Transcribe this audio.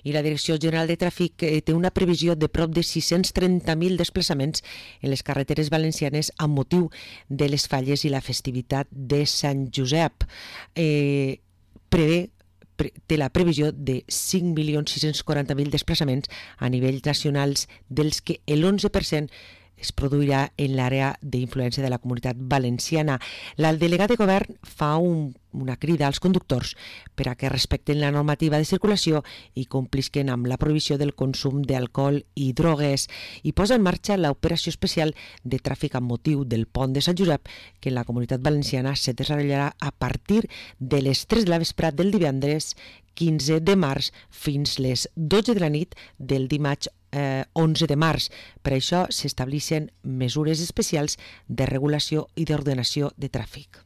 I la Direcció General de Tràfic té una previsió de prop de 630.000 desplaçaments en les carreteres valencianes amb motiu de les falles i la festivitat de Sant Josep. Té la previsió de 5.640.000 desplaçaments a nivells nacionals, dels que l'11% es produirà en l'àrea d'influència de la Comunitat Valenciana. El delegat de govern fa una crida als conductors per a que respecten la normativa de circulació i complisquen amb la prohibició del consum d'alcohol i drogues, i posa en marxa l'operació especial de tràfic amb motiu del pont de Sant Josep, que en la Comunitat Valenciana se desenvoluparà a partir de les 3 de la vesprada del divendres 15 de març fins les 12 de la nit del dimarts 11 de març. Per això s'estableixen mesures especials de regulació i d'ordenació de tràfic.